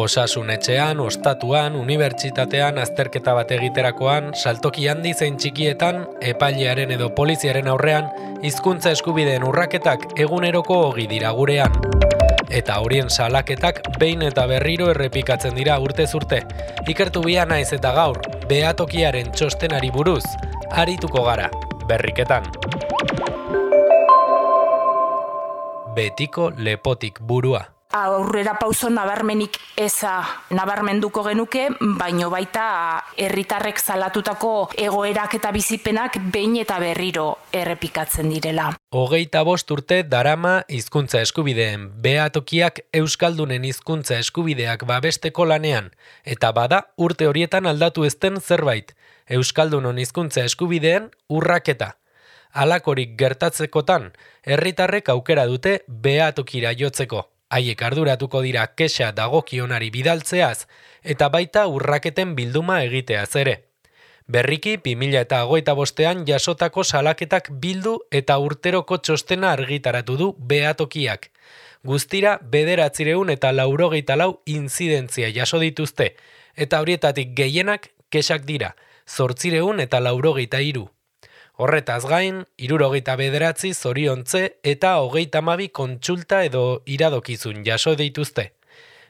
Osasunetxean, ostatuan, unibertsitatean, azterketa bat egiterakoan, saltoki handi zein txikietan, epailearen edo poliziaren aurrean, hizkuntza eskubideen urraketak eguneroko ogi dira gurean. Eta horien salaketak behin eta berriro errepikatzen dira urtez urte. Ikertu bia naiz eta gaur, behatokiaren txostenari buruz, arituko gara, berriketan. Betiko lepotik burua. Aurrera pauso nabarmenik eza nabarmenduko genuke, baino baita herritarrek salatutako egoerak eta bizipenak behin eta berriro errepikatzen direla. 25 urte darama hizkuntza eskubideen behatokiak euskaldunen hizkuntza eskubideak babesteko lanean, eta bada urte horietan aldatu ezten zerbait, euskaldunon hizkuntza eskubideen urraketa. Halakorik gertatzekotan, herritarrek aukera dute behatokira jotzeko. Haiek arduratuko dira kexa dagokionari bidaltzeaz, eta baita urraketen bilduma egiteaz ere. Berriki 2025an jasotako salaketak bildu eta urteroko txostena argitaratu du behatokiak. Guztira 984 inzidentzia jaso dituzte, eta horietatik gehienak kexak dira, 893. Horretaz gain, 69 zoriontze eta 32 kontsulta edo iradokizun jaso dituzte.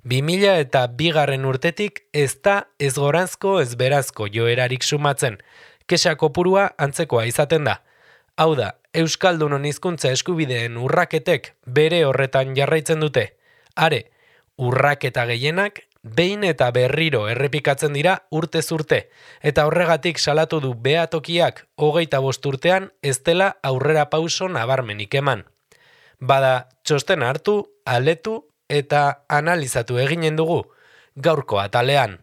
2002 urtetik ez da ez goranzko ez berazko joerarik sumatzen, kexa kopurua antzekoa izaten da. Hau da, euskaldunon hizkuntza eskubideen urraketek bere horretan jarraitzen dute. Are, urraketa gehienak behin eta berriro errepikatzen dira urtez urte, eta horregatik salatu du behatokiak 25 urtean ez dela aurrera pauso nabarmenik eman. Bada, txosten hartu, aletu eta analizatu eginen dugu, gaurko atalean.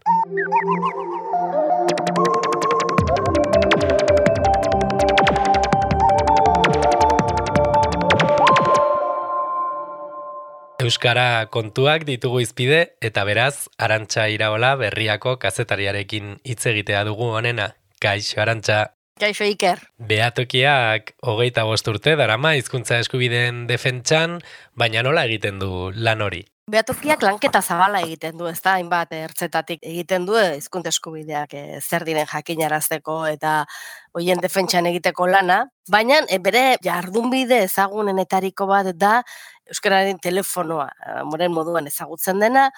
Euskara kontuak ditugu izpide, eta beraz, Arantxa Iraola Berriako kazetariarekin hitz egitea dugu honena. Kaixo, Arantxa. Kaixo, Iker. Behatokiak 25 urte darama hizkuntza eskubideen defentsan, baina nola egiten du lan hori? Behatokiak lanketa zabala egiten du, ezta, hainbat ertzetatik egiten du hizkuntza eskubideak zer diren jakinarazteko eta hoien defentsan egiteko lana, baina bere jardunbide ezagunenetariko bat da euskararen telefonoa, moren moduan ezagutzen dena,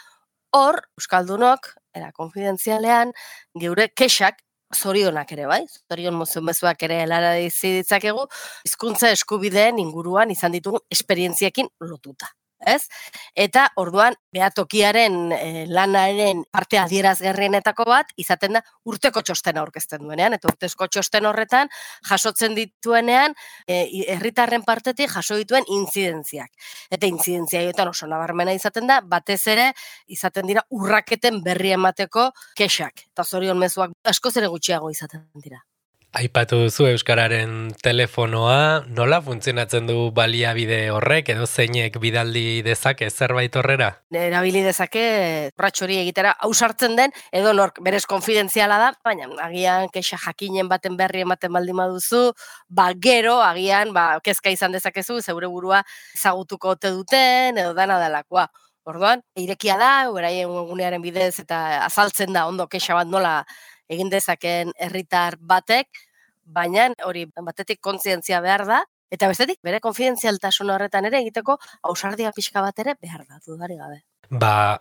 hor euskaldunok era konfidentzialean geure kexak zorionak ere, bai? Zorion mezuak ere helara ditzakegu hizkuntza eskubideen inguruan izan ditugun esperientziekin lotuta. Ez? Eta orduan behatokiaren lanaren parte adierazgarrienetako bat izaten da urteko txostena aurkezten duenean, eta urtezko txosten horretan jasotzen dituenean herritarren partetik jaso dituen intzidentziak. Eta intzidentzia joetan oso nabarmena izaten da, batez ere izaten dira urraketen berri emateko kexak. Eta zorion mezuak askoz ere gutxiago izaten dira. Aipatu duzu euskararen telefonoa, nola funtzionatzen du baliabide horrek edo zeinek bidaldi dezake zerbait horrera? Erabili dezake urrats hori egitera ausartzen den edo nork berez konfidentziala da, baina agian kexa jakinen baten berri ematen baldin baduzu, gero agian kezka izan dezakezu zeure burua ezagutuko ote duten edo dana delakoa. Orduan, irekia da, beraien gunearen bidez eta azaltzen da ondo kexa bat nola egin dezakeen herritar batek, baina hori batetik kontzientzia behar da, eta bestetik bere konfidentzialtasun horretan ere egiteko ausardia pixka bat ere behar da, dudari gabe.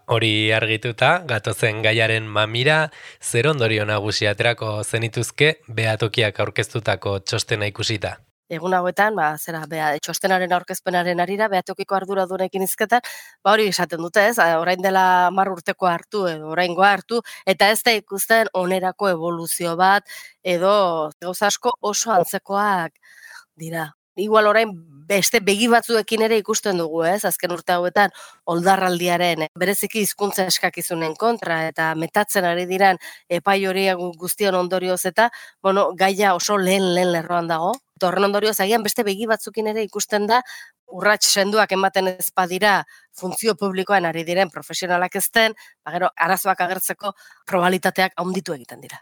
Hori argituta, gatozen gaiaren mamira, zer ondorio nagusi aterako zenituzke behatokiak aurkeztutako txostena ikusita? Egun hauetan, txostenaren aurkezpenaren arira, behatokiko arduradunekin izketan, hori esaten dute ez, orain dela 10 urteko hartu edo oraingoa hartu, eta ez da ikusten onerako evoluzio bat, edo gauza asko oso antzekoak dira. Igual orain beste begi batzuekin ere ikusten dugu, ez? Azken urte hauetan oldarraldiaren bereziki hizkuntza eskakizunen kontra eta metatzen ari diran epai horiek guztion ondorioz eta, gaia oso lehen lerroan dago. Horren ondorioz agian beste begi batzukin ere ikusten da urrats senduak ematen ez badira funtzio publikoan ari diren profesionalak ezten, gero arazoak agertzeko probabilitateak handitu egiten dira.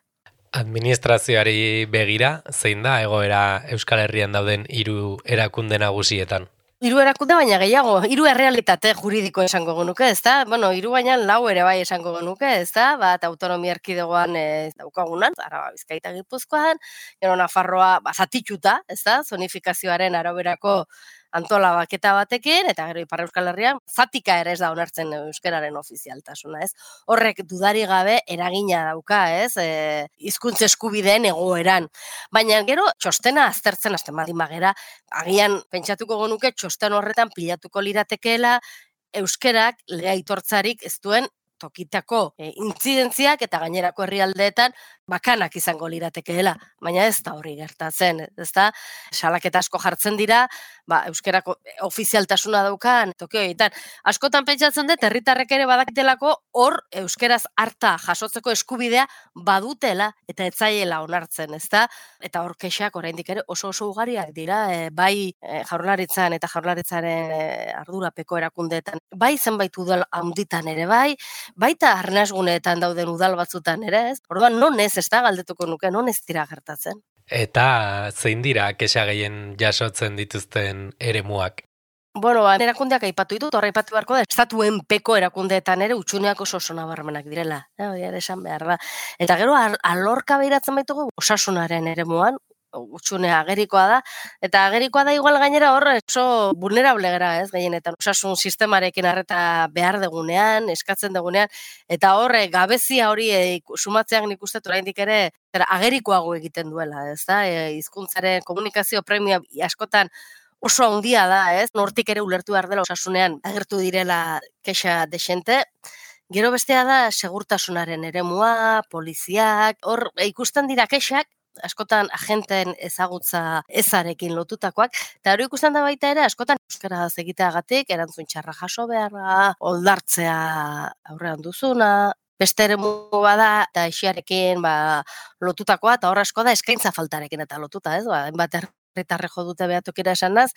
Administrazioari begira, zein da egoera Euskal Herrian dauden 3 erakunde nagusietan? Hiru erakunde baina gehiago, hiru errealitate juridiko esango genuke, ezta? Bueno, hiru baina lau ere bai esango genuke, ezta? Bat autonomia erkidegoan daukagunan, Araba, Bizkaia eta Gipuzkoan, gero Nafarroa zatituta, ezta? Zonifikazioaren araberako antolabaketa batekin, eta gero Ipar Euskal Herrian zatika ere ez da onartzen euskararen ofizialtasuna, ez? Horrek dudari gabe eragina dauka, ez? Hizkuntza eskubideen egoeran. Baina gero txostena aztertzen hasten baldin bagera, agian pentsatuko genuke txosten horretan pilatuko liratekeela euskerak lege aitortzarik ez duen tokitako intzidentziak eta gainerako herrialdeetan bakanak izango liratekeela, baina ez da hori gertatzen, ez da? Salaketa asko jartzen dira, euskerako ofizialtasuna daukan toki horietan. Askotan pentsatzen dut herritarrek ere badakitelako hor euskeraz harta jasotzeko eskubidea badutela eta ez zaiela onartzen, ez da? Eta hor kexak oraindik ere oso ugariak dira, bai Jaurlaritzan eta Jaurlaritzaren ardurapeko erakundeetan, bai zenbait udal handitan ere bai, baita arnasguneetan dauden udal batzutan ere, ez? Orduan non ez da galdetuko nuke, non ez dira gertatzen. Eta zein dira kexa gehien jasotzen dituzten eremuak? Bueno, erakundeak aipatu ditut, horra aipatu beharko da, estatuen peko erakundeetan ere utxuneak oso nabarmenak direla. Hori ere esan behar da. Eta gero alorka behiratzen baitugu osasunaren eremuan, utxunea agerikoa da, eta agerikoa da igual gainera hor oso vulnerable gara, ez, gehienetan. Osasun sistemarekin arreta behar degunean, eskatzen degunean, eta hor gabezia hori sumatzeak nik uste oraindik ere agerikoago egiten duela, ez da, hizkuntzaren komunikazio premia askotan oso handia da, ez, nortik ere ulertu behar dela osasunean agertu direla kexa desente. Gero bestea da segurtasunaren eremua, poliziak, hor ikusten dira kexak, askotan agenteen ezagutza ezarekin lotutakoak, eta hori ikusten da baita ere, askotan euskaraz egiteagatik, erantzun txarra jaso beharra, oldartzea aurrean duzuna, beste eremu bada, eta esiarekin lotutakoa, eta hor asko da eskaintza faltarekin eta lotuta, ez? Hainbat herritarre jo dute behatokira esanaz,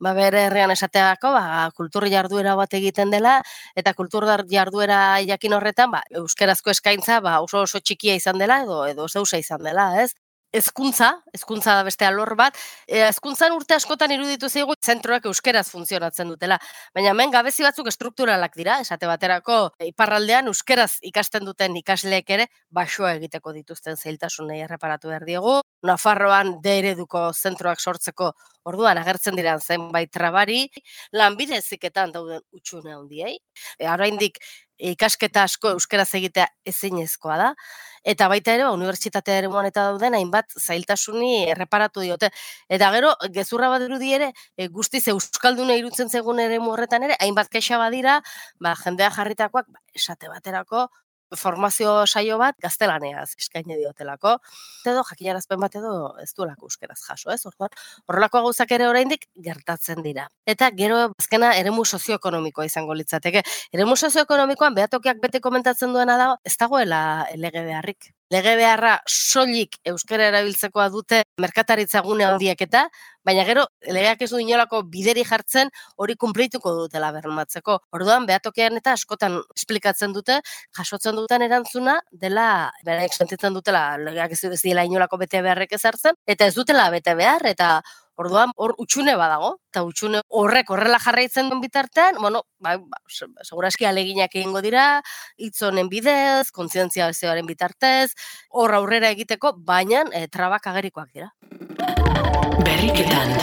bere herrian esateako, kultur jarduera bat egiten dela, eta kultur jarduera jakin horretan, euskerazko eskaintza oso txikia izan dela, edo zeusa izan dela, ez? Hezkuntza da beste alor bat, hezkuntzan urte askotan iruditu zaigu zentroak euskeraz funtzionatzen dutela, baina hemen gabezi batzuk estrukturalak dira, esate baterako iparraldean euskeraz ikasten duten ikasleek ere baxua egiteko dituzten zailtasunei erreparatu behar diegu, Nafarroan D ereduko zentroak sortzeko orduan agertzen diren zenbait trabari, lanbide heziketan dauden hutsune handiei, oraindik ikasketa asko euskeraz egitea ezinezkoa da, eta baita ere, unibertsitatea eremuan eta dauden hainbat zailtasuni erreparatu diote. Eta gero, gezurra bat dirudi ere, guztiz euskalduna irutzen zegoen eremu horretan ere, hainbat kexa badira, jendea jarritakoak, esate baterako, formazio saio bat gaztelaneaz eskaini diotelako, edo jakinarazpen bat edo ez duelako euskeraz jaso, ez? Orduan, horrelako gauzak ere oraindik gertatzen dira. Eta gero azkena eremu sozioekonomikoa izango litzateke. Eremu sozioekonomikoan behatokiak bete komentatzen duena da, ez dagoela lege beharrik. Lege beharra soilik euskara erabiltzekoa dute merkataritza gune handiek eta, baina gero legeak ez du inolako bideri jartzen hori kunplituko dutela bermatzeko. Orduan, behatokian eta askotan esplikatzen dute, jasotzen duten erantzuna dela, beraiek sentitzen dutela legeak ez dela inolako bete beharrek ezartzen, eta ez dutela bete behar, eta orduan, hor utxune badago, eta utxune horrek horrela jarraitzen duen bitartean, bueno, seguraski aleginak egingo dira, hitz honen bidez, kontzientziazioaren bitartez, hor aurrera egiteko, baina trabak agerikoak dira. Berriketan.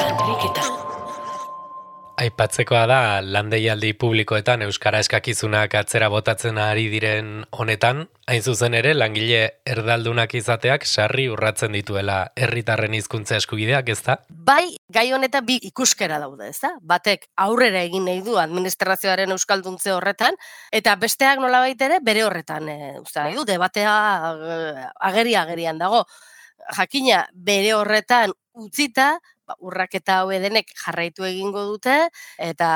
Aipatzekoa da, landeialdi publikoetan euskara eskakizunak atzera botatzen ari diren honetan, hain zuzen ere, langile erdaldunak izateak sarri urratzen dituela herritarren hizkuntza eskubideak, ezta? Bai, gai honetan bi ikuskera daude, ezta? Batek aurrera egin nahi du administrazioaren euskalduntze horretan, eta besteak nolabait ere bere horretan, nahi du, debatea agerian dago. Jakina, bere horretan utzita, urraketa hau denek jarraitu egingo dute, eta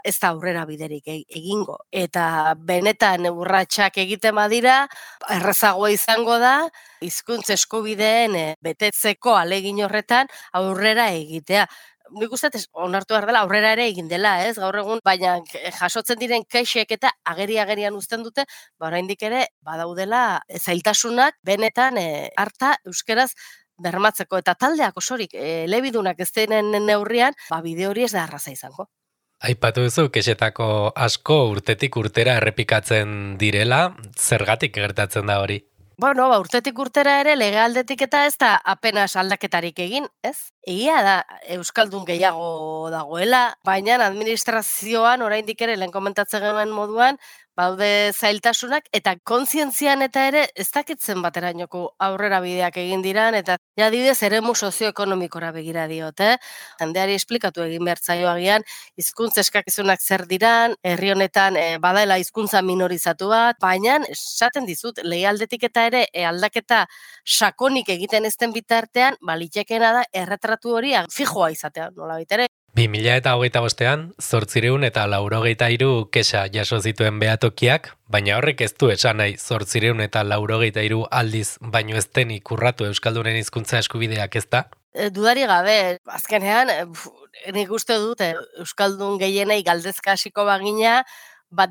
ez da aurrera biderik egingo. Eta benetan urratsak egiten badira, errazagoa izango da, hizkuntza eskubideen betetzeko ahalegin horretan aurrera egitea. Nik uste onartu behar dela, aurrera ere egin dela, ez, gaur egun, baina jasotzen diren kexek eta agerian uzten dute, oraindik ere badaudela zailtasunak benetan harta euskeraz bermatzeko eta taldeak osorik elebidunak ez denen neurrian, bide hori ez da arraza izango. Aipatu duzu, kexetako asko urtetik urtera errepikatzen direla, zergatik gertatzen da hori? Bueno, urtetik urtera ere legealdetik eta ez da apenas aldaketarik egin, ez? Egia da euskaldun gehiago dagoela, baina administrazioan oraindik ere lehen komentatzen genuen moduan, baude zailtasunak eta kontzientzian eta ere ez dakitzen baterainoko aurrera bideak egin diran eta adibidez eremu sozioekonomikora begira diote. Jendeari esplikatu egin behar zaio agian hizkuntza eskakizunak zer diran, herri honetan badaela hizkuntza minorizatu bat, baina esaten dizut legealdetik eta ere aldaketa sakonik egiten ezten bitartean, litekeena da erretratu hori fijoa izatea, nolabait ere. 2025ean, 893 kexa jaso zituen behatokiak, baina horrek ez du esan nahi 893 aldiz baino ez denik urratu euskaldunen hizkuntza eskubideak, ez da? Dudari gabe, azkenean, nik uste dut euskaldun gehienei galdezka hasiko bagina,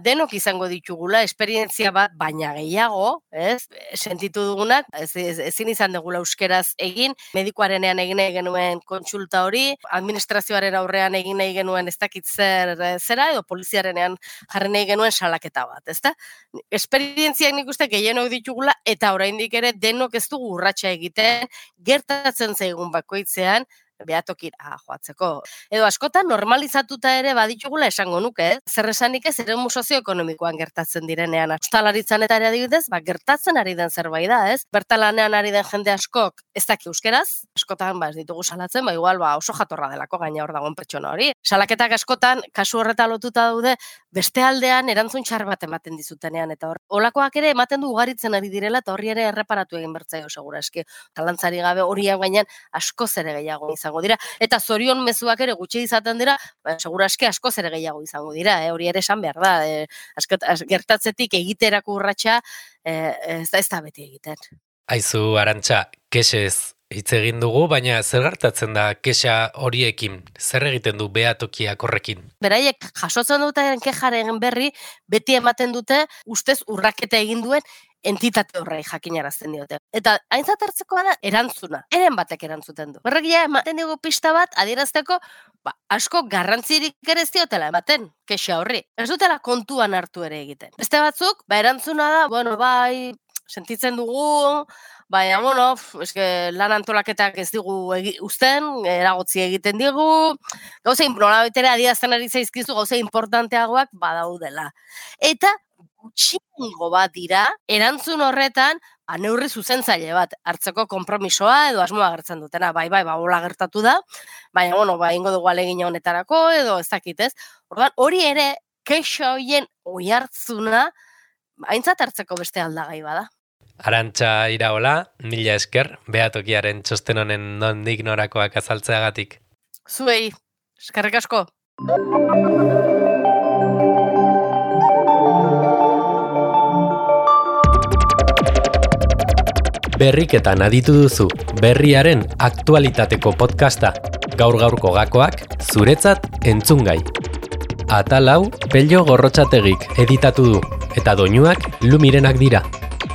denok izango ditugula, esperientzia bat, baina gehiago, ez? Sentitu dugunak, ezin izan dugula euskeraz egin, medikuarenean egin nahi genuen kontsulta hori, administrazioaren aurrean egin nahi genuen ez dakit zera, edo poliziarenean jarri nahi genuen salaketa bat, ezta? Esperientziak nik uste gehienok ditugula, eta oraindik ere denok ez dugu urratsa egiten, gertatzen zaigun bakoitzean, behatokira joatzeko. Edo askotan normalizatuta ere baditugula esango nuke, zer esanik ez eremu sozioekonomikoan gertatzen direnean. Ostalaritzan eta ere adibidez, gertatzen ari den zerbait da, ez? Bertalanean ari den jende askok ez daki euskeraz, askotan ez ditugu salatzen, igual oso jatorra delako gaina hor dagoen pertsona hori. Salaketak askotan, kasu horreta lotuta daude, beste aldean erantzun txar bat ematen dizutenean, eta holakoak ere ematen du ugaritzen ari direla, eta horri ere erreparatu egin bertzaio segura eski. Talantzari gabe horian gainean askoz ere gehiago izango dira, eta zorion mezuak ere gutxi izaten dira, segura eski askoz ere gehiago izango dira, hori ere esan behar da, gertatzetik egiterako urratsa ez da beti egiten. Aizu, Arantxa, kexez hitz egin dugu, baina zer gertatzen da kexa horiekin, zer egiten du behatokiak horrekin? Beraiek jasotzen duten kexaren berri, beti ematen dute ustez urraketa egin duen entitate horrei jakinarazten diote. Eta aintzat hartzekoa da erantzuna. Eren batek erantzuten du. Horrek ja ematen dugu pista bat adierazteko, asko garrantzirik ere ez diotela ematen kexa horri. Ez dutela kontuan hartu ere egiten. Beste batzuk, erantzuna da, sentitzen dugu, baina, lan antolaketak ez digu uzten, eragotzi egiten digu, gauza nolabaitere adierazten ari zaizkizu, gauza importanteagoak badaudela. Eta gutxiengo bat dira, erantzun horretan, neurri zuzentzaile bat hartzeko konpromisoa edo asmoa agertzen dutena. Hola gertatu da, baina, ingo dugu alegina honetarako edo ez dakit ez. Orduan, hori ere, kexa horien oihartzuna, aintzat hartzeko beste aldagai bada. Arantxa Iraola, mila esker, behatokiaren txosten honen nondik norakoak azaltzeagatik. Zuei, eskerrik asko. Berriketan aditu duzu, berriaren aktualitateko podcasta. Gaur-gaurko gakoak, zuretzat entzungai. Atal hau, Pello Gorrotxategik editatu du, eta doinuak Lumirenak dira.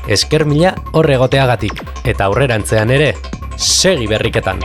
Esker mila hor egoteagatik, eta aurrerantzean ere, segi berriketan.